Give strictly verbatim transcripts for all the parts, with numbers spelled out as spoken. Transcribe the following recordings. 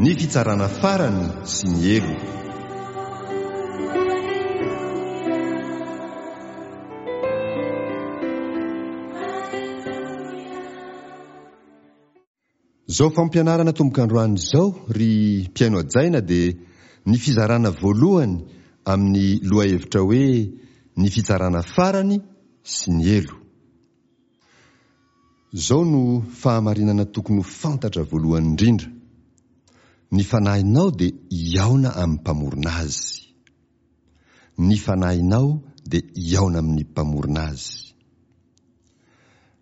Ny fitsarana farany sy ny helo. Izao fampianarana atomboka androany izao, ry mpihaino hajaina, dia ny fizarana voalohany amin'ny lohahevitra hoe ny fitsarana farany sy ny helo. Izao no fahamarinana tokony ho fantatra voalohany indrindra, ny fanahinao dia hihaona amin'ny Mpamorona azy. Ny fanahinao dia hihaona amin'ny Mpamorona azy.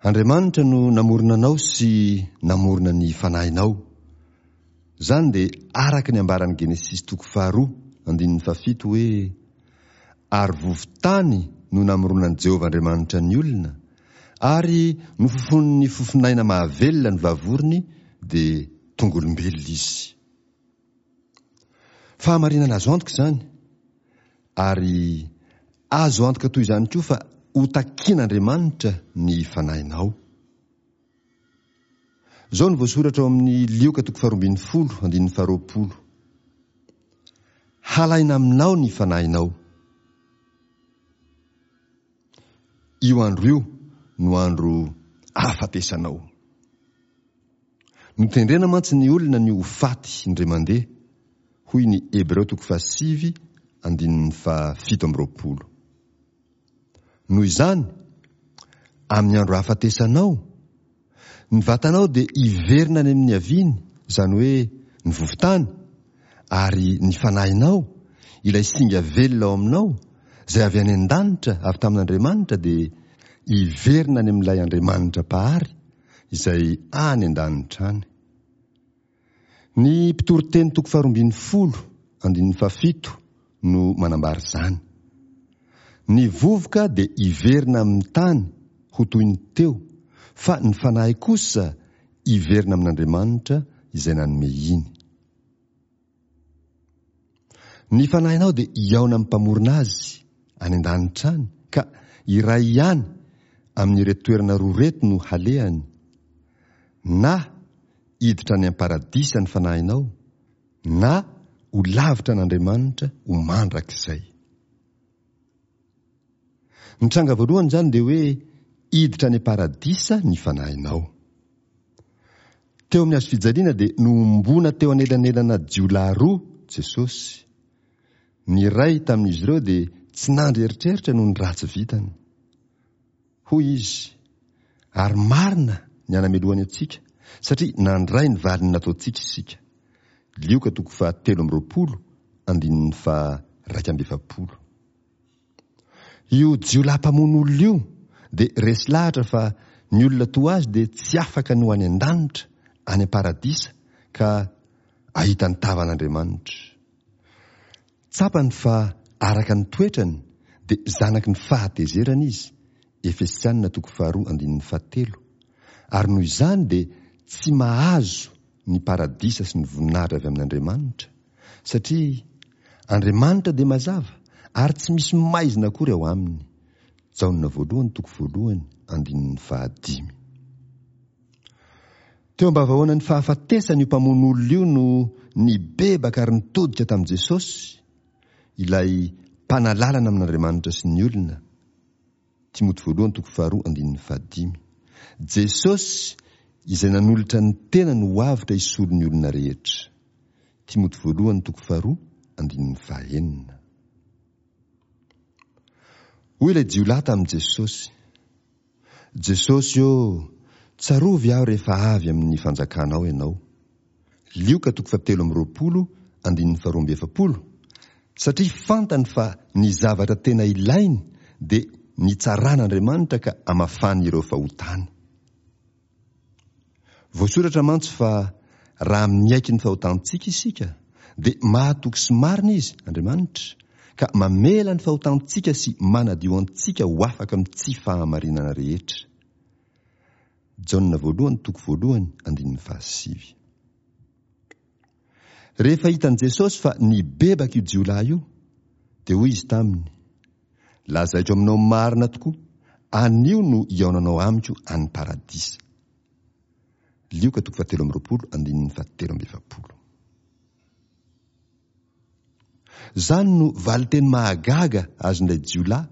Andriamanitra no namorona anao sy namorona ny fanahinao. Izany dia araka ny ambaran'ny Genesisy toko faharoa andininy fahafito hoe, Ary vovo-tany no namoronan'i Jehovah Andriamanitra ny olona, ary nofofonin'ny fofon'aina mahavelona ny vavorony, dia tonga olombelona izy. Fahamarinana azo antoka izany, ary azo antoka toy izany koa fa hotakian'Andriamanitra ny fanahinao. Izao no voasoratra ao amin'ny Lioka toko faharoa ambin'ny folo, andininy faharoapolo, Halaina aminao ny fanahinao. Io andro io no andro ahafatesanao. Notendrena mantsy ny olona ny ho faty indray mandeha, hoy ny Hebreo toko fahasivy andininy fahafito amby roapolo. Noho izany, amin'ny andro ahafatesanao, ny vatanao dia hiverina any amin'ny niaviany, izany hoe ny vovo-tany, ary ny fanahinao, ilay singa velona ao aminao, izay avy any an-danitra, avy tamin'Andriamanitra, dia hiverina any amin'ilay Andriamanitra Mpahary, izay any an-danitra any. Ny Mpitoriteny toko faharoa ambin'ny folo, andininy fahafito no manambara izany. Ny vovoka dia hiverina amin'ny tany ho toy ny teo, fa ny fanahy kosa hiverina amin'Andriamanitra izay nanome iny. Ny fanahinao dia hihaona amin'ny Mpamorona azy any an-danitra any, ka iray ihany amin'ireto toerana roa ireto no halehany, na hiditra any am-paradisa ny fanahinao, na ho lavitra an'Andriamanitra ho mandrakizay. Ny tranga voalohany izany dia hoe hiditra any am-paradisa ny fanahinao. Teo amin'ny hazofijaliana dia nohomboana teo anelanelana jiolahy roa Jesosy. Ny iray tamin'izy ireo dia tsy nandry eritreritra noho ny ratsy vitany. Hoy izy, Ary marina ny anamelohany antsika, satria nandray ny valiny nataontsika isika. Lioka toko fahatelo amby roapolo, andininy faha-raika amby efapolo. Io jiolahy mpamono olona io dia resy lahatra fa ny olona toa azy dia tsy afaka ny ho any an-danitra, any am-paradisa, ka ahita ny tavan'Andriamanitra. Tsapany fa araka ny toetrany dia zanaky ny fahatezerana izy, Efesiana toko faharoa andininy fahatelo, ary noho izany dia tsy mahazo ny paradisa sy ny voninahitra avy amin'Andriamanitra, satria Andriamanitra dia mazava ary tsy misy maizina akory ao aminy. Jaona voalohany toko voalohany andininy fahadimy. Teo am-bavahoanan'ny fahafatesany io mpamono olona io no nibebaka ary nitodika tamin'i Jesosy, ilay Mpanalalana amin'Andriamanitra sy ny olona. Timoty voalohany toko faharoa andininy fahadimy. Jesosy izay nanolotra ny tenany ho avotra hisolo ny olona rehetra. Timoty voalohany toko faharoa andininy fahenina. Hoy ilay jiolahy tamin'i Jesosy, Jesosy ô, tsarovy aho rehefa avy amin'ny fanjakanao ianao. Lioka toko fahatelo amby roapolo andininy faharoa amby efapolo, satria fantany fa ny zavatra tena ilainy dia ny tsaran'Andriamanitra ka amafany ireo fahotany. Voasoratra mantsy fa raha miaiky ny fahotantsika isika dia mahatoky sy marina Izy, Andriamanitra, ka mamela ny fahotantsika sy manadio antsika ho afaka amin'ny tsy fahamarinana rehetra. Jaona voalohany toko voalohany andininy fahasivy. Rehefa hitan'i Jesosy fa nibebaka io jiolahy io, dia hoy izy taminy, Lazaiko aminao marina tokoa, anio no hihaonanao amiko any Paradisa. Lioka toko fahatelo amby roapolo andininy fahatelo amby efapolo. Izany no valinteny mahagaga azon'ilay jiolahy,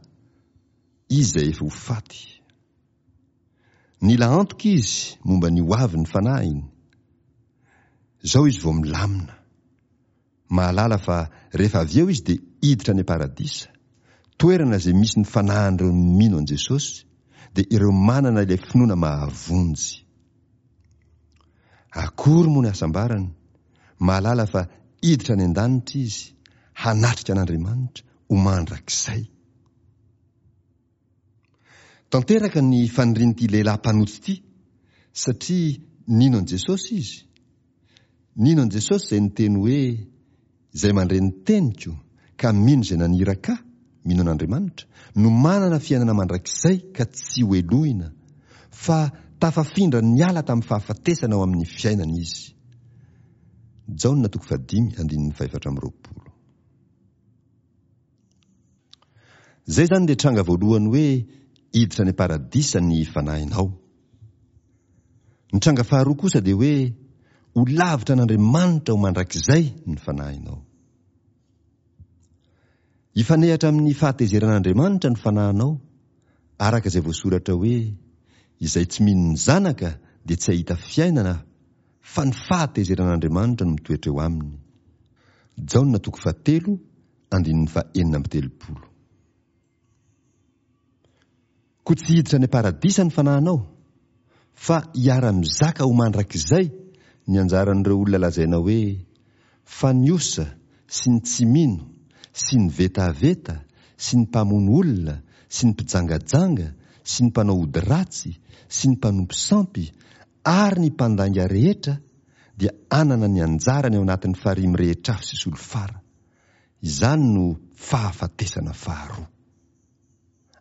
izy izay efa ho faty. Nila antoka izy momba ny hoavin'ny fanahiny. Izao izy vao milamina. Mahalala fa rehefa avy eo izy dia hiditra any am-paradisa, toerana izay misy ny fanahin'ireo mino an'i Jesosy, dia ireo manana ilay finoana mahavonjy. Akory moa ny hasambarany, mahalala fa hiditra any an-danitra izy, hanatrika an'Andriamanitra ho mandrakizay. Tanteraka ny fanirian'ity lehilahy mpanota ity, satria nino an'i Jesosy izy. Nino an'i Jesosy izay niteny hoe, Izay mandre ny teniko ka mino izay naniraka Ahy, mino an'Andriamanitra, no manana fiainana mandrakizay ka tsy ho helohina, fa tafafindra niala tamin'ny fahafatesana ho amin'ny fiainana izy. Jaona toko fahadimy andininy fahefatra amby roapolo. Izay izany ilay tranga voalohany hoe hiditra any am-paradisa ny fanahinao. Ny tranga faharoa kosa dia hoe ho lavitra an'Andriamanitra ho mandrakizay ny fanahinao. Hifanehatra amin'ny fahatezeran'Andriamanitra ny fanahinao, araka izay voasoratra hoe, Izay tsy mino ny Zanaka dia tsy hahita fiainana fa ny fahatezeran'Andriamanitra no mitoetra eo aminy. Jaona toko fahatelo andininy fahenina amby telopolo. Koa tsy hiditra any am-paradisa ny fanahinao, fa hiara-mizaka ho mandrakizay ny anjaran'ireo olona lazaina hoe fa ny osa sy ny tsy mino sy ny vetaveta sy ny mpamono olona sy ny mpijangajanga sy ny mpanao ody ratsy sy ny mpanompo sampy ary ny mpandainga rehetra dia hanana ny anjarany ao anatin'ny farihy mirehitra afo sy solifara. Izany no fahafatesana faharoa.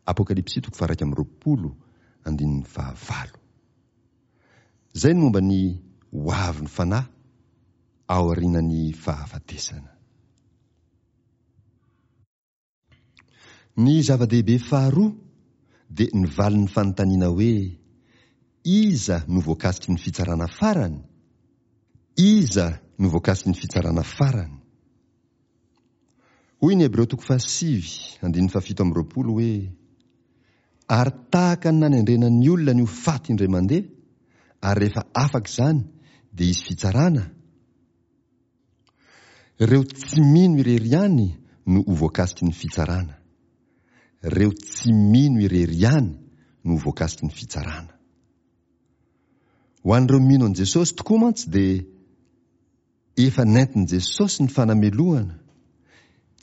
Apokalypsy toko faha-iraika amby roapolo andininy fahavalo. Izay ny momba ny ho avin'ny fanahy aorianan'ny fahafatesana. Ny zava-dehibe faharoa dia ny valin'ny fanontaniana hoe iza no voakasiky ny fitsarana farany? Iza no voakasiky ny fitsarana farany? Hoy ny Hebreo toko fahasivy andininy fahafito amby roapolo hoe, Ary tahaka ny nanendrena ny olona ny ho faty indray mandeha, ary rehefa afaka izany dia hisy fitsarana, ireo tsy mino irery ihany no ho voakasiky ny fitsarana. Ireo tsy mino irery ihany no ho voakasiky ny fitsarana. Ho an'ireo mino an'i Jesosy tokoa mantsy dia Efa nentin'i Jesosy ny fanamelohana.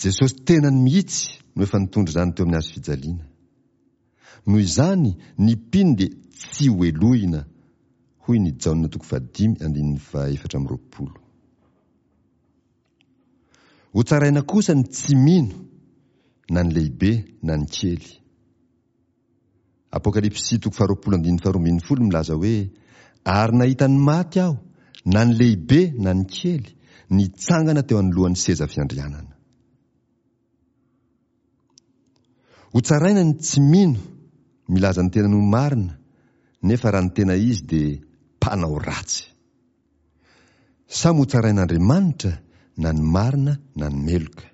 Jesosy tenany mihitsy no efa nitondra izany teo amin'ny hazo fijaliana. Noho izany, ny mpino dia tsy ho helohina, hoy ny Jaona toko fahadimy andininy fahefatra amby roapolo. Hotsaraina kosa ny tsy mino, na ny lehibe na ny kely. Apokalypsy toko faharoapolo andininy faharoa ambin'ny folo milaza hoe, Ary nahita ny maty aho, na ny lehibe na ny kely, nitsangana teo anoloan'ny seza fiandrianana. Hotsaraina ny tsy mino, milaza ny tenany ho marina, nefa raha ny tena izy dia mpanao ratsy. Samy hotsarain'Andriamanitra na ny marina na ny meloka.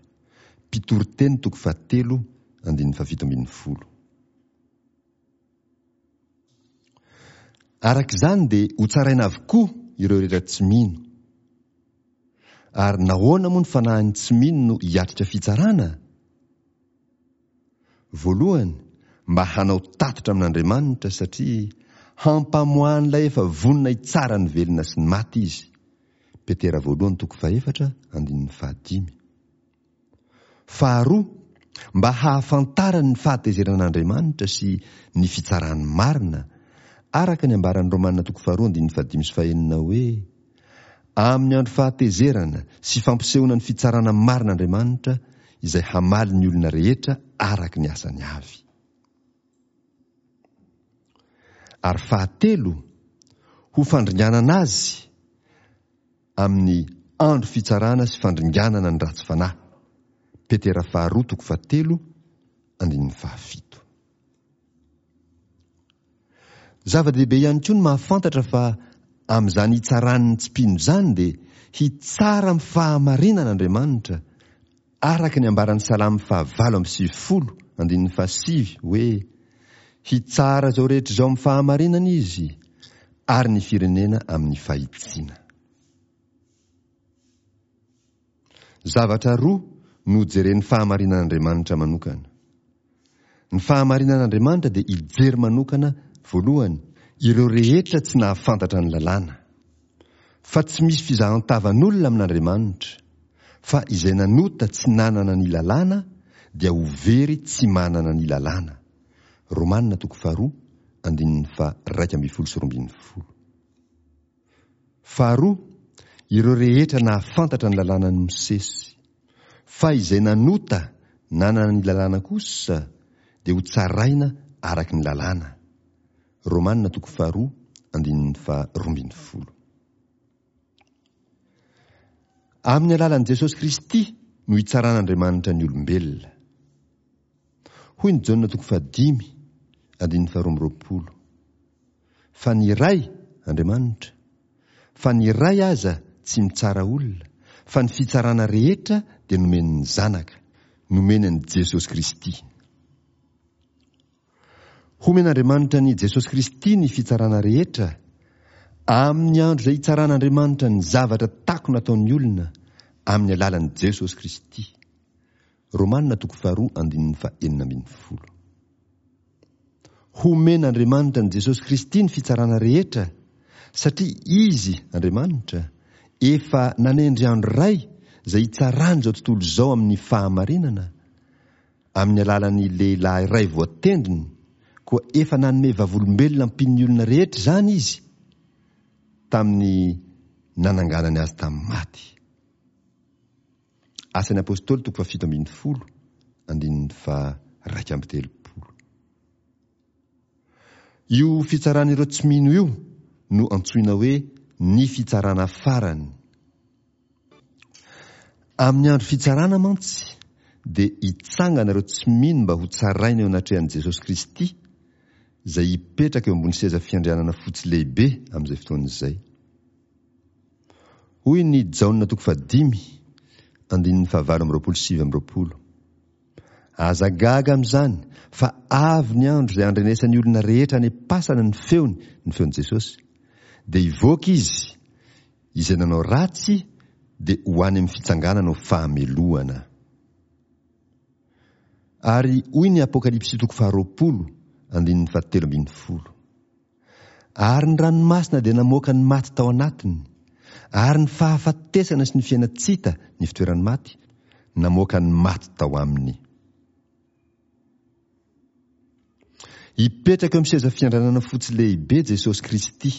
Mpitoriteny toko fahatelo andininy fahafito ambin'ny folo. Araka izany dia hotsaraina avokoa ireo rehetra tsy mino. Ary nahoana moa ny fanahin'ny tsy mino no hiatrika fitsarana? Voalohany, mba hanao tatitra amin'Andriamanitra satria hampamoahan'ilay efa vonona hitsara ny velona sy ny maty izy. Petera voalohany toko fahefatra andininy fahadimy. Faharoa, mba hahafantarany ny fahatezeran'Andriamanitra sy ny fitsarany marina, araka ny ambaran'ny Romana toko faharoa andininy fahadimy sy fahenina hoe, Amin'ny andro fahatezerana sy fampisehoana ny fitsarana marin'Andriamanitra izay hamaly ny olona rehetra araka ny asany avy. Ary fahatelo, ho fandringanana azy amin'ny andro fitsarana sy fandringanana ny ratsy fanahy. Petera faharoa toko fahatelo andininy fahafito. Zava-dehibe ihany koa ny mahafantatra fa amin'izany hitsarany ny tsy mpino izany dia hitsara amin'ny fahamarinana Andriamanitra Araka ny ambaran'ny Salamo fahavalo amby sivifolo andininy fahasivy hoe hitsara izao rehetra izao amin'ny fahamarinana izy ary ny firenena amin'ny fahitsiana. Zavatra roa no jeren'ny fahamarinan'Andriamanitra manokana. Ny fahamarinan'Andriamanitra dia hijery manokana voalohany ireo rehetra tsy nahafantatra ny lalàna. Fa tsy misy fizahan-tavan'olona amin'Andriamanitra, fa izay nanota tsy nanana ny lalàna dia ho very tsy manana ny lalàna. Romanina toko faharoa andininy faha-iraika ambin'ny folo sy roa ambin'ny folo. Faharoa, ireo rehetra nahafantatra ny lalànan'i Mosesy. Fa izay nanota nanana ny lalàna kosa dia ho tsaraina araka ny lalàna. Romanina toko faharoa andininy faharoa ambin'ny folo. Amin'ny alalan'i Jesosy Kristy no hitsaran'Andriamanitra ny olombelona. Hoy ny Jaona toko fahadimy andininy faharoa amby roapolo. Fa ny Ray, Andriamanitra, fa ny Ray aza tsy mitsara olona, fa ny fitsarana rehetra dia nomen'ny Zanaka, nomeny an'i Jesosy Kristy. Homen'Andriamanitra an'i Jesosy Kristy ny fitsarana rehetra, amin'ny andro izay hitsaran'Andriamanitra ny zavatra takona ataon'ny olona amin'ny alalan'i Jesosy Kristy. Romanina toko faharoa andininy fahenina ambin'ny folo. Homen'Andriamanitra an'i Jesosy Kristy ny fitsarana rehetra, satria Izy, Andriamanitra, efa nanendry andro iray izay hitsarany izao tontolo izao amin'ny fahamarinana, amin'ny alalan'ny lehilahy iray voatendriny, koa efa nanome vavolombelona ampian'ny olona rehetra izany Izy tamin'ny nananganany azy tamin'ny maty. Asan'ny Apôstôly toko fahafito ambin'ny folo andininy faha-iraika amby telopolo. Io fitsaran'ireo tsy mino io no antsoina hoe ny fitsarana farany. Amin'ny andro fitsarana mantsy dia hitsangana ireo tsy mino mba ho tsaraina eo anatrehan'i Jesosy Kristy, izay hipetraka eo ambony seza fiandrianana fotsy lehibe amin'izay fotoana izay. Hoy ny Jaona toko fahadimy andininy fahavalo amby roapolo sy sivy amby roapolo. Aza gaga amin'izany fa avy ny andro izay andrenesan'ny olona rehetra any am-pasana ny feony, ny feon'i Jesosy. Dia hivoaka izy, izay nanao ratsy dia ho any amin'ny fitsanganana ho fahamelohana. Ary hoy ny Apokalypsy toko faharoapolo andininy fahatelo ambin'ny folo. Ary ny ranomasina dia namoaka ny maty tao anatiny, ary ny fahafatesana sy ny fiainan-tsita ny fitoeran'ny maty, namoaka ny maty tao aminy. Hipetraka eo amin'ny seza fiandranana fotsy lehibe Jesosy Kristy,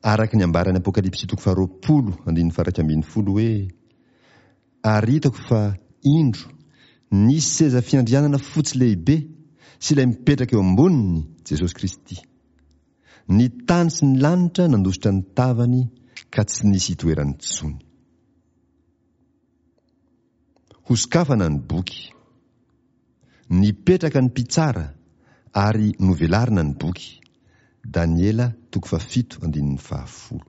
araka ny ambaran'ny Apokalypsy toko faharoapolo andininy faha-iraika ambin'ny folo hoe: Ary hitako fa, indro, nisy seza fiandrianana fotsy lehibe sy ilay mipetraka eo amboniny, Jesosy Kristy. Ny tany sy ny lanitra nandositra ny tavany ka tsy nisy itoerany intsony. Hosokafana ny boky. Nipetraka ny mpitsara ary novelarina ny boky. Daniela toko fahafito andininy fahafolo.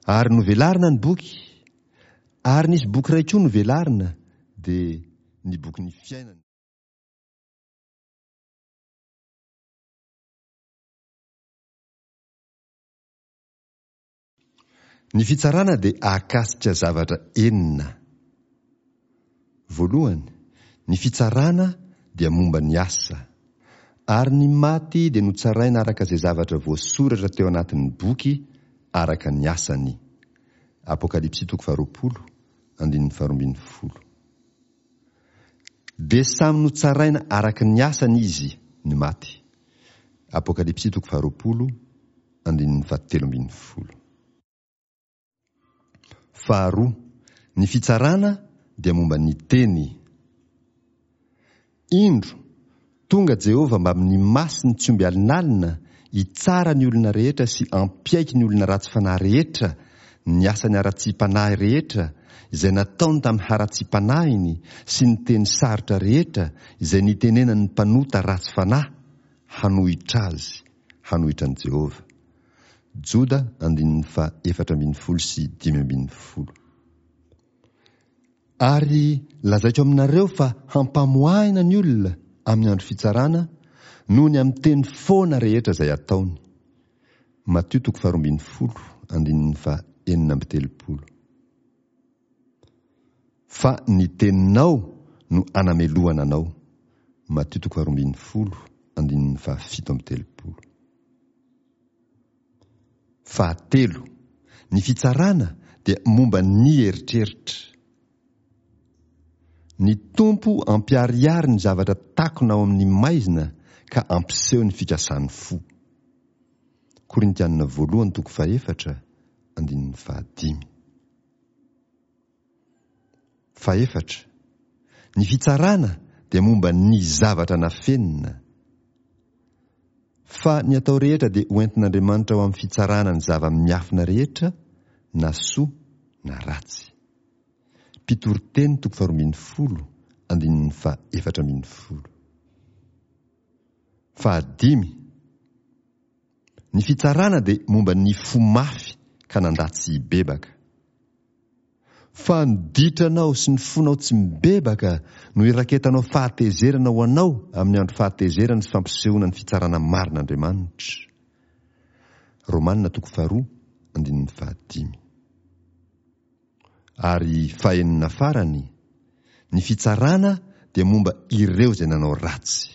Ary novelarina ny boky, ary nisy boky iray koa novelarina, dia ny bokin'ny fiainana. Ny fitsarana dia ahakasika zavatra enina. Voalohany, ny fitsarana dia momba ny asa. Ary ny maty dia notsaraina araka izay zavatra voasoratra teo anatin'ny boky araka ny asany. Apokalypsy toko faharoapolo, andininy faharoa ambin'ny folo. Dia samy notsaraina araka ny asany izy, ny maty. Apokalypsy toko faharoapolo, andininy fahatelo ambin'ny folo. Faharoa, ny fitsarana dia momba ny teny. Indro, tonga Jehovah mbamin'ny masiny tsy omby alinalina hitsara ny olona rehetra sy hampiaiky ny olona ratsy fanahy rehetra ny asany haratsiam-panahy rehetra izay nataony tamin'ny haratsiam-panahiny sy ny teny sarotra rehetra izay nitenenan'ny mpanota ratsy fanahy hanohitra azy, hanohitra an'i Jehovah. Joda andininy faha efatra ambin'ny folo sy dimy ambin'ny folo. Ary lazaiko aminareo fa hampamoahina ny olona amin'ny andro fitsarana noho ny amin'ny teny foana rehetra izay ataony. Matio toko faharoa ambin'ny folo, andininy faha enina amby telopolo. Fa ny teninao no anamelohana anao. Matio toko faharoa ambin'ny folo, andininy faha fito amby telopolo. Fahatelo, ny fitsarana dia momba ny eritreritra. Ny Tompo ampiharihary ny zavatra takona ao amin'ny maizina ka ampiseho ny fikasan'ny fo. Korintianina voalohany toko fahefatra, andininy fahadimy. Fahefatra, ny fitsarana dia momba ny zavatra nafenina. Fa ny atao rehetra dia hoentin'Andriamanitra ho amin'ny fitsarana ny zava-miafina rehetra, na soa na ratsy. Mpitoriteny toko faharoa ambin'ny folo, andininy faha efatra ambin'ny folo. Fahadimy, ny fitsarana dia momba ny fo mafy ka nandà tsy hibebaka. Fa ny ditranao sy ny fonao tsy mibebaka no iraketanao fahatezerana ho anao amin'ny andro fahatezerana sy fampisehoana ny fitsarana marin'Andriamanitra. Romanina toko faharoa, andininy fahadimy. Ary fahenina farany, ny fitsarana dia momba ireo izay nanao ratsy.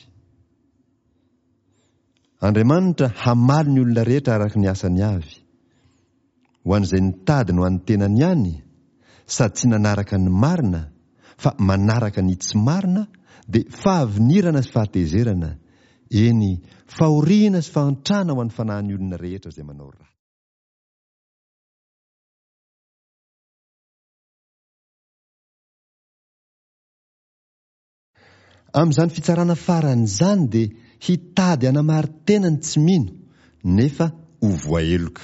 Andriamanitra hamaly ny olona rehetra araka ny asany avy. Ho an'izay nitady no an'ny tenany ihany, sady tsy nanaraka ny marina, fa manaraka ny tsy marina, dia fahavinirana sy fahatezerana, eny, fahoriana sy fahantrana ho an'ny fanahin'ny olona rehetra izay manao ratsy. Amin'izany fitsarana farany izany dia hitady hanamari-tena ny tsy mino, nefa ho voaheloka.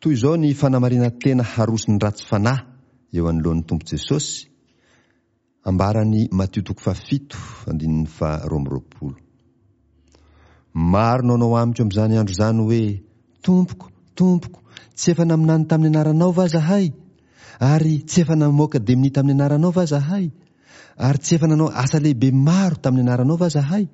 Toy izao ny fanamarinan-tena haroson'ny ratsy fanahy eo anoloan'ny Tompo Jesosy, ambaran'i Matio toko fahafito, andininy faharoa amby roapolo. Maro no hanao amiko amin'izany andro izany hoe, Tompoko, Tompoko, tsy efa naminany tamin'ny anaranao va zahay? Ary tsy efa namoaka demonia tamin'ny anaranao va zahay? Ary tsy efa nanao asa lehibe maro tamin'ny anaranao va zahay?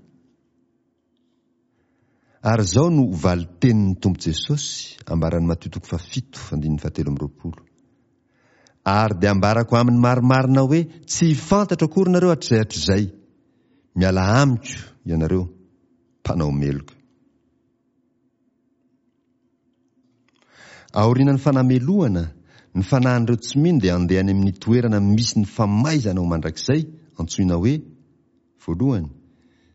Ary izao no valin-tenin'ny Tompo Jesosy, ambaran'i Matio toko fahafito, andininy fahatelo amby roapolo. Ary dia ambarako aminy marimarina hoe, tsy fantatro akory nareo hatrizay hatrizay. Miala amiko ianareo, mpanao meloka. Aorianan'ny fanamelohana, ny fanahin'ireo tsy mino dia handeha any amin'ny toerana misy ny famaizana ho mandrakizay, antsoina hoe, voalohany,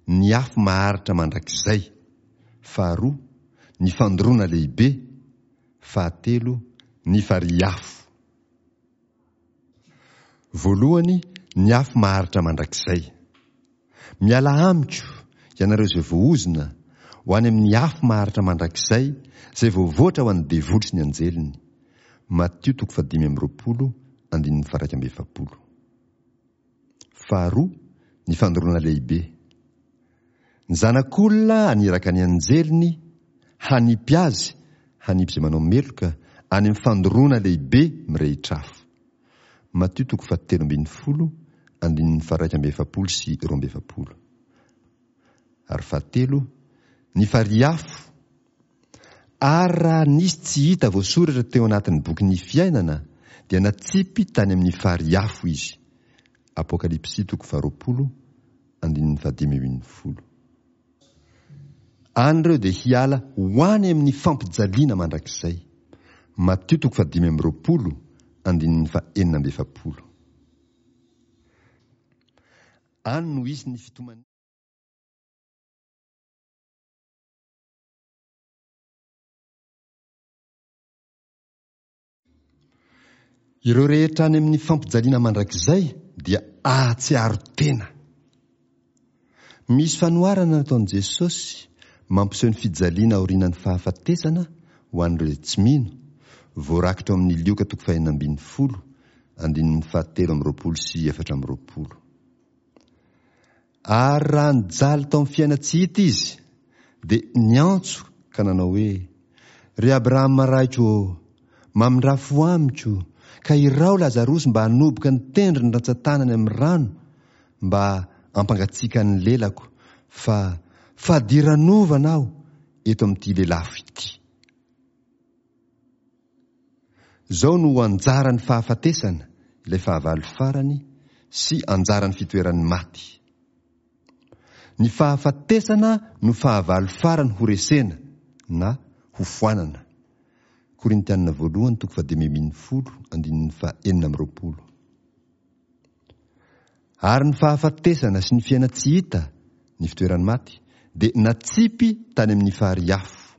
ny afo maharitra mandrakizay, faharoa, ny fandoroana lehibe, fahatelo, ny farihy afo. Voalohany, ny afo maharitra mandrakizay. Miala amiko, ianareo izay voaozona, ho any amin'ny afo maharitra mandrakizay, izay voavoatra ho an'ny devoly sy ny anjeliny. Matio toko fahadimy amby roapolo, andininy faha-iraika amby efapolo. Faharoa, ny fandoroana lehibe. Ny Zanak'olona haniraka ny anjeliny hanipy azy, hanipy izay manao meloka, any amin'ny fandoroana lehibe mirehitra afo. Matio toko fahatelo ambin'ny folo, andininy faha-iraika amby efapolo sy roa amby efapolo. Ary fahatelo, ny farihy afo. Ary raha nisy tsy hita voasoratra teo anatin'ny bokin'ny fiainana, dia natsipy tany amin'ny farihy afo izy. Apokalypsy toko faharoapolo, andininy fahadimy ambin'ny folo. Any ireo dia hiala ho any amin'ny fampijaliana mandrakizay. Matio toko fahadimy amby roapolo, andininy fahenina amby efapolo. Any no hisy ny fitomaniana. Ireo rehetra any amin'ny fampijaliana mandrakizay dia ahatsiaro tena. Misy fanoharana nataon'i Jesosy mampiseho ny fijaliana aorianan'ny fahafatesana ho an'ireo izay tsy mino, voarakitra ao amin'ny Lioka toko fahenina ambin'ny folo, andininy fahatelo amby roapolo sy efatra amby roapolo. Ary raha nijaly tao amin'ny fiaina-tsy hita izy, dia niantso ka nanao hoe, Ry Abrahama raiko ô, mamindrà fo amiko, Ka iraho Lazarosy mba hanoboka ny tendrony rantsan-tanany amin'ny rano mba hampangatsiaka ny lelako, fa fadiranovana aho eto amin'ity lelafo ity. Izao no ho anjaran'ny fahafatesana, ilay fahavalo farany, sy anjaran'ny fitoeran'ny maty. Ny fahafatesana no fahavalo farany horesena na hofoanana. Korintianina voalohany toko fahadimy ambin'ny folo andininy fahenina amby roapolo. Ary ny fahafatesana sy ny fiainan-tsy hita, ny fitoeran'ny maty, dia natsipy tany amin'ny farihy afo.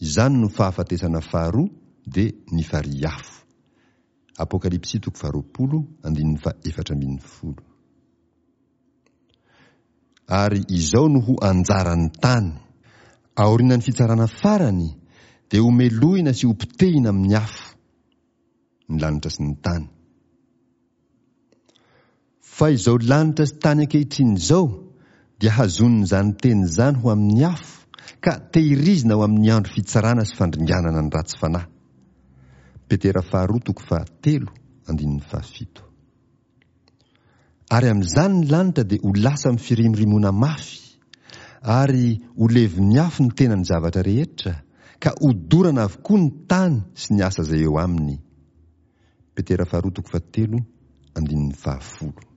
Izany no fahafatesana faharoa, dia ny farihy afo. Apokalypsy toko faharoapolo andininy fahaefatra ambin'ny folo. Ary izao no ho anjaran'ny tany. Aorianan'ny fitsarana farany, dia homelohina sy hopotehina amin'ny afo ny lanitra sy ny tany. Fa izao lanitra sy tany ankehitriny izao dia hazonin'izany teny izany ho amin'ny afo, ka tehirizina ho amin'ny andro fitsarana sy fandringanana ny ratsy fanahy. Petera faharoa toko fahatelo andininy fahafito. Ary amin'izany ny lanitra dia ho lasa amin'ny firimorimoana mafy, ary ho levon'ny afo ny tenan'ny zavatra rehetra, ka hodorana avokoa ny tany sy ny asa izay eo aminy. Petera faharoa toko fahatelo andininy fahafolo.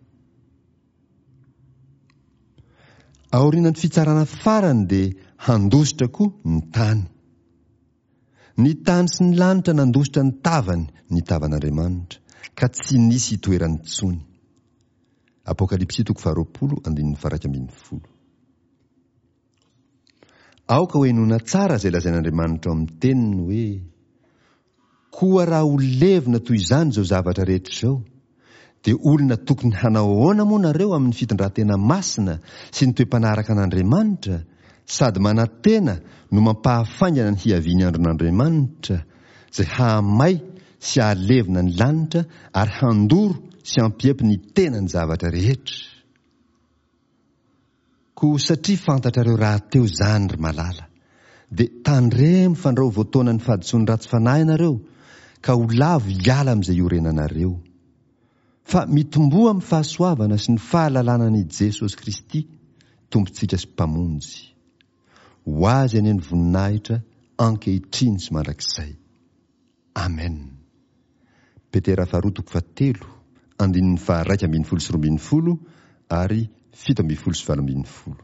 Aorianan'ny fitsarana farany dia handositra koa ny tany. Ny tany sy ny lanitra nandositra ny tavany ny tavan'Andriamanitra, ka tsy nisy itoerany intsony. Apokalypsy toko faharoapolo andininy faha-iraika ambin'ny folo. Aoka hohenoina tsara izay lazain'Andriamanitra ao amin'ny teniny hoe, Koa raha ho levona toy izany izao zavatra rehetra izao, dia olona tokony hanao ahoana moa nareo amin'ny fitondran-tena masina sy ny toe-panaraka an'Andriamanitra, sady manantena no mampahafaingana ny hiavian'ny andron'Andriamanitra, izay hahamay sy hahalevona ny lanitra ary handoro sy hampiepy ny tenany zavatra rehetra? Koa satria fantatrareo rahateo izany, ry malala, dia tandremo fandrao voataonan'ny fahadisoan'ny ratsy fanahy ianareo, ka ho lavo hiala amin'izay iorenanareo. Fa mitomboa amin'ny fahasoavana sy ny fahalalana an'i Jesosy Kristy, Tompontsika sy Mpamonjy. Ho Azy anie ny voninahitra ankehitriny sy mandrakizay. Amen. Petera faharoa toko fahatelo, andininy faharaika ambin'ny folo sy roa ambin'ny folo ary fito ambin'ny folo sy valo ambin'ny folo.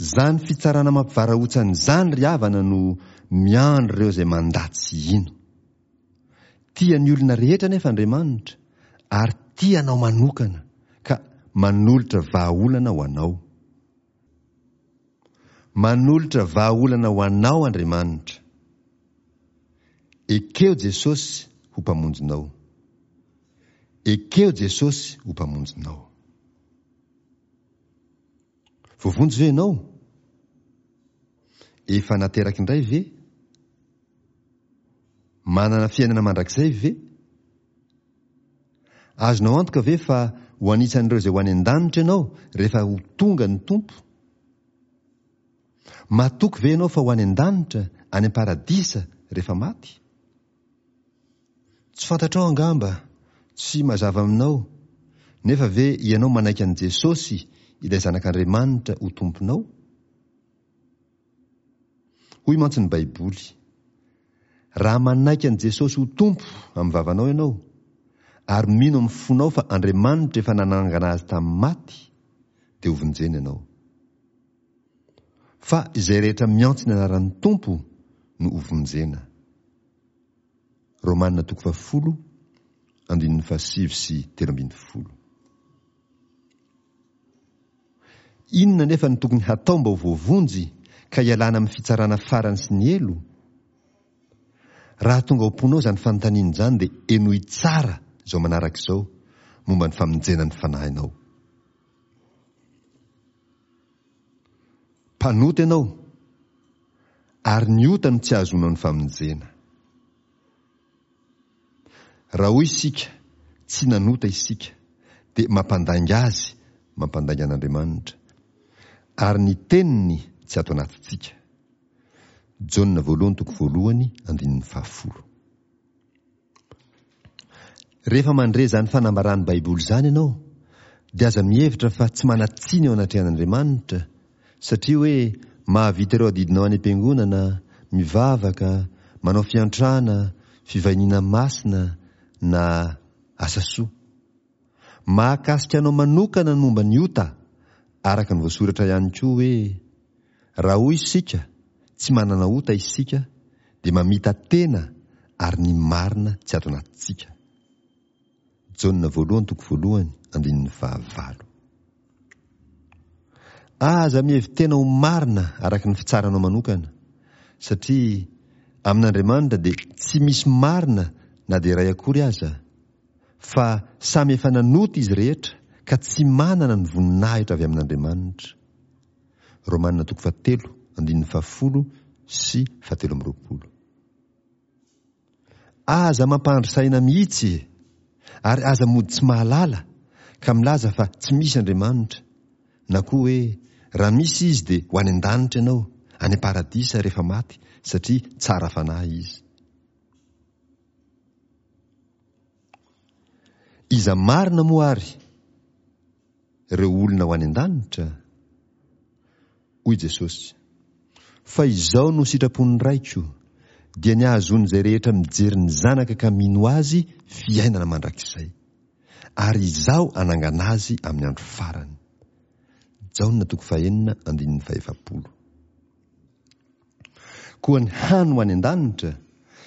Izany fitsarana mampivarahontsana izany ry havana no miandry ireo izay mandà tsy hino. Tia ny olona rehetra anefa Andriamanitra ary tia anao manokana ka manolotra vahaolana ho anao. Manolotra vahaolana ho anao Andriamanitra. Ekeo Jesosy ho Mpamonjinao. Ekeo Jesosy ho Mpamonjinao. Voavonjy ve ianao? Efa nateraka indray ve? Manana fiainana mandrakizay ve? Azonao antoka ve fa ho anisan'ireo izay ho any an-danitra ianao rehefa ho tonga ny Tompo? Matoky ve ianao fa ho any an-danitra, any am-paradisa, rehefa maty? Tsy fantatrao angamba, tsy mazava aminao, nefa ve ianao manaiky an'i Jesosy, ilay Zanak'Andriamanitra, ho Tomponao? Hoy mantsy ny Baiboly, Raha manaiky an'i Jesosy ho Tompo amin'ny vavanao ianao, ary mino amin'ny fonao fa Andriamanitra efa nanangana azy tamin'ny maty, dia hovonjena ianao. Fa izay rehetra miantso ny anaran'ny Tompo no hovonjena. Romana toko fahafolo, andininy fahasivy sy telo ambin'ny folo. Inona anefa no tokony hatao mba ho voavonjy ka hialana amin'ny fitsarana farany sy ny helo? Raha tonga ao am-ponao izany fanontaniana izany dia henoy tsara izao manaraka izao momba ny famonjena ny fanahinao. Mpanota ianao ary ny ota no tsy ahazoanao ny famonjena. Raha hoy isika, tsy nanota isika, dia mampandainga Azy, mampandainga an'Andriamanitra, ary ny Teniny tsy ato anatintsika. Jaona voalohany toko voalohany andininy fahafolo. Rehefa mandre izany fanambaran'ny Baiboly izany ianao, dia aza mihevitra fa tsy manan-tsiny eo anatrehan'Andriamanitra, satria hoe mahavita ireo adidinao any am-piangonana, mivavaka, manao fiantrana, fivahiniana masina, na asa soa. Mahakasika anao manokana ny momba ny ota, araka ny voasoratra ihany koa hoe, Raha hoy isika, tsy manana ota isika, dia mamita-tena ary ny marina tsy ato anatintsika. Jaona voalohany toko voalohany andininy fahavalo. Aza mihevi-tena ho marina araka ny fitsaranao manokana, satria amin'Andriamanitra dia tsy misy marina na dia iray akory aza, fa samy efa nanota izy rehetra ka tsy manana ny voninahitra avy amin'Andriamanitra. Romana toko fahatelo andininy fahafolo sy fahatelo amby roapolo. Aza mampandry saina mihitsy e! Ary aza mody tsy mahalala ka milaza fa tsy misy Andriamanitra, na koa hoe raha misy Izy dia ho any an-danitra ianao, any am-paradisa rehefa maty satria tsara fanahy Izy. Iza marina moa ary ireo olona ho any an-danitra? Hoy Jesosy, Fa izao no sitrapon'ny Raiko, dia ny hahazoan'izay rehetra mijery ny Zanaka ka mino Azy fiainana mandrakizay. Ary Izaho hanangana azy amin'ny andro farany. Jaona toko fahenina andininy fahefapolo. Koa ny hany ho any an-danitra,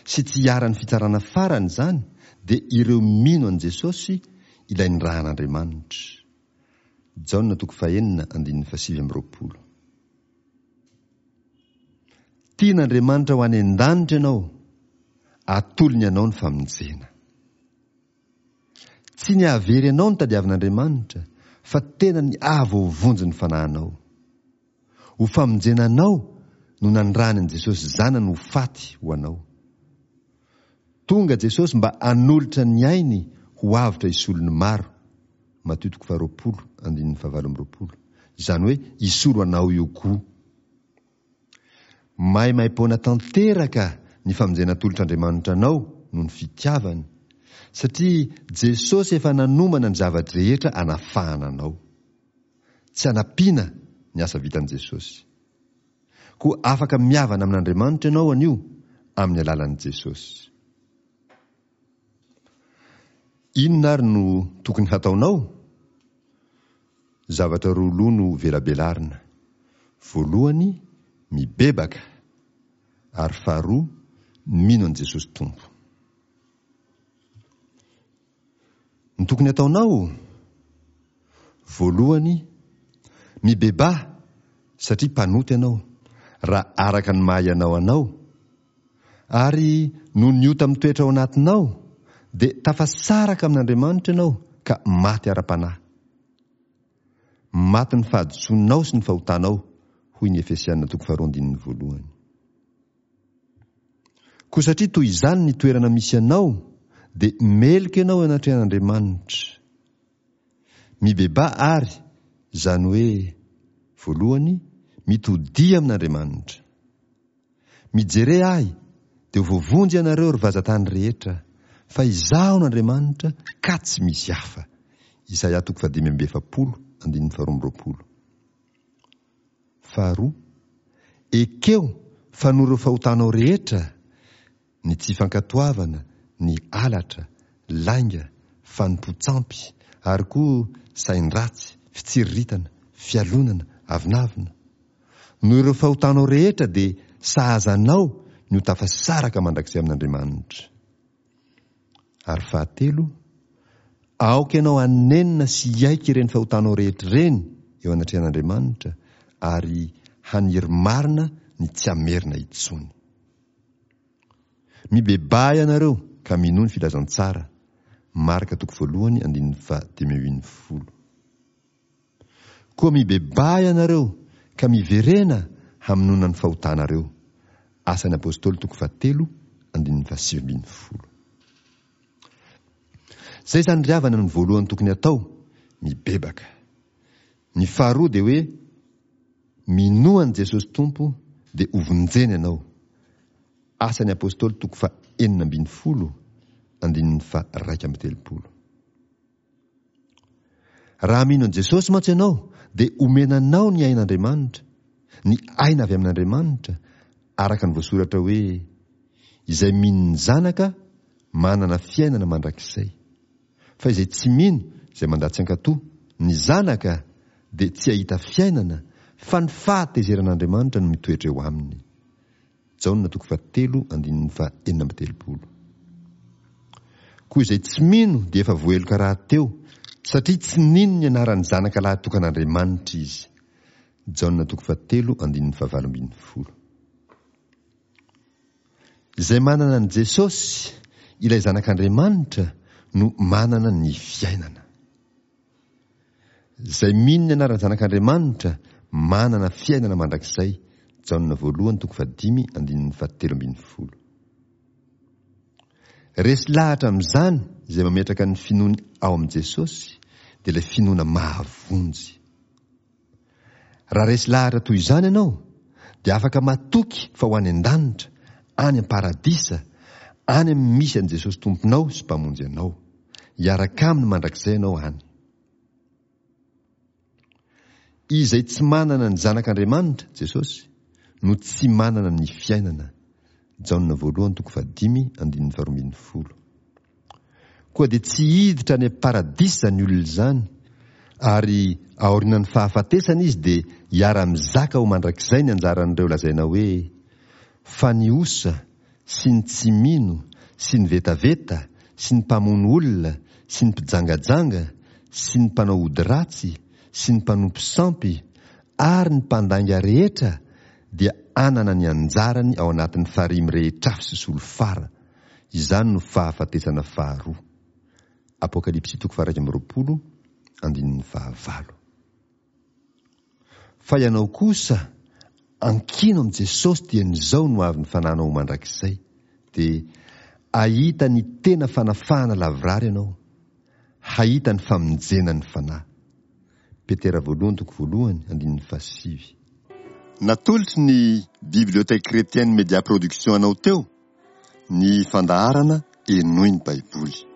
sy tsy hiharan'ny fitsarana farany izany, dia ireo mino an'i Jesosy, ilay nirahan'Andriamanitra. Jaona toko fahenina andininy fahasivy amby roapolo. Tian'Andriamanitra ho any an-danitra ianao, atolony anao ny famonjena. Tsy ny hahavery anao no tadiavin'Andriamanitra, fa tena ny hahavoavonjy ny fanahinao. Ho famonjena anao no nanirahany an'i Jesosy Zanany ho faty ho anao. Tonga Jesosy mba hanolotra ny ainy ho avotra hisolo ny maro, Matio toko faharoapolo andininy fahavalo amby roapolo, izany hoe hisolo anao io koa. Maimaimpoana tanteraka ny famonjena atolotr'Andriamanitra anao noho ny fitiavany, satria Jesosy efa nanomana ny zava-drehetra anafahana anao. Tsy anampiana ny asa vitan'i Jesosy. Koa afaka mihavana amin'Andriamanitra ianao anio amin'ny alalan'i Jesosy. Inona ary no tokony hataonao? Zavatra roa loha no velabelarina. Voalohany, mibebaka, ary faharoa, mino an'i Jesosy Tompo. Ny tokony hataonao? Voalohany, mibebaha satria mpanota ianao, raha araka ny maha ianao anao, ary noho ny ota mitoetra ao anatinao, dia tafasaraka amin'Andriamanitra ianao ka maty ara-panahy. Maty ny fahadisoanao sy ny fahotanao, hoy ny Efesiana toko faharoa andininy voalohany. Koa satria toy izany ny toerana misy anao, dia meloka ianao eo anatrehan'Andriamanitra. Mibebaha àry, izany hoe, voalohany, mitodiha amin'Andriamanitra. Mijere ahy, dia ho voavonjy ianareo, ry vazantany rehetra, fa Izaho no Andriamanitra, ka tsy misy hafa. Isaia toko fahadimy amby efapolo, andininy faharoa amby roapolo. Faharoa, ekeo fa noho ireo fahotanao rehetra, ny tsy fankatoavana, ny halatra, lainga, fanompoan-tsampy, ary koa sain-dratsy, fitsiriritana, fialonana, avonavona. Noho ireo fahotanao rehetra dia sahaza anao ny ho tafasaraka mandrakizay amin'Andriamanitra. Ary fahatelo, aoka ianao hanenina sy hiaiky ireny fahotanao rehetra ireny eo anatrehan'Andriamanitra ary haniry marina ny tsy hamerina intsony. Mibebaha ianareo ka minoa ny filazantsara, Marka toko voalohany andininy fahadimy ambin'ny folo. Koa mibebaha ianareo ka miverena hamonoana ny fahotanareo. Asan'ny Apostoly toko fahatelo andininy fahasivy ambin'ny folo. Izay izany ry havana no voalohany tokony atao, mibebaka. Ny faharoa dia hoe minoa an'i Jesosy Tompo dia hovonjena ianao. Asan'ny Apostoly toko faha enina ambin'ny folo, andininy faha iraika amby telopolo. Raha mino an'i Jesosy mantsy ianao dia omena anao ny ain'Andriamanitra, ny aina avy amin'Andriamanitra, araka ny voasoratra hoe, Izay mino ny Zanaka manana fiainana mandrakizay. Fa izay tsy mino, izay mandà tsy hankatò ny Zanaka dia tsy hahita fiainana, fa ny fahatezeran'Andriamanitra no mitoetra eo aminy. Jaona toko fahatelo andininy faha enina amby telopolo. Koa izay tsy mino dia efa voaheloka rahateo, satria tsy nino ny anaran'ny Zanaka lahitokan'Andriamanitra izy. Jaona toko fahatelo andininy fahavalo ambin'ny folo. Izay manana an'i Jesosy, ilay Zanak'Andriamanitra, no manana ny fiainana. Izay mino ny anaran'ny Zanak'Andriamanitra manana fiainana mandrakizay, Jaona voalohany toko fahadimy andininy fahatelo ambin'ny folo. Resy lahatra amin'izany izay mametraka ny finoany ao amin'i Jesosy, dia ilay finoana mahavonjy. Raha resy lahatra toy izany ianao, dia afaka matoky fa ho any an-danitra, any am-paradisa, any amin'ny misy an'i Jesosy Tomponao sy Mpamonjy anao. Hiaraka aminy mandrakizay ianao any. Izay tsy manana ny Zanak'Andriamanitra, Jesosy, no tsy manana ny fiainana. Jaona voalohany toko fahadimy andininy faharoa ambin'ny folo. Koa dia tsy hiditra any am-paradisa izany olona izany, ary aorianan'ny fahafatesana izy dia hiara-mizaka ho mandrakizay ny anjaran'ireo lazaina hoe, Fa ny osa, sy ny tsy mino, sy ny vetaveta, sy ny mpamono olona, sy ny mpijangajanga, sy ny mpanao ody ratsy, sy ny mpanompo sampy, ary ny mpandainga rehetra dia hanana ny anjarany ao anatin'ny farihy mirehitr'afo sy solifara. Izany no fahafatesana faharoa. Apokalypsy toko faha-iraika amby roapolo, andininy fahavalo. Fa ianao kosa, ankino amin'i Jesosy dieny izao no avy ny fananao ho mandrakizay, dia ahita ny tena fanafahana lavorary ianao, hahita ny famonjena ny fanahy. Petera voalohany toko voalohany, andininy fahasivy. Natolotry ny Bibliothèque Chrétienne Media Production anao teo ny fandaharana Henoy ny Baiboly.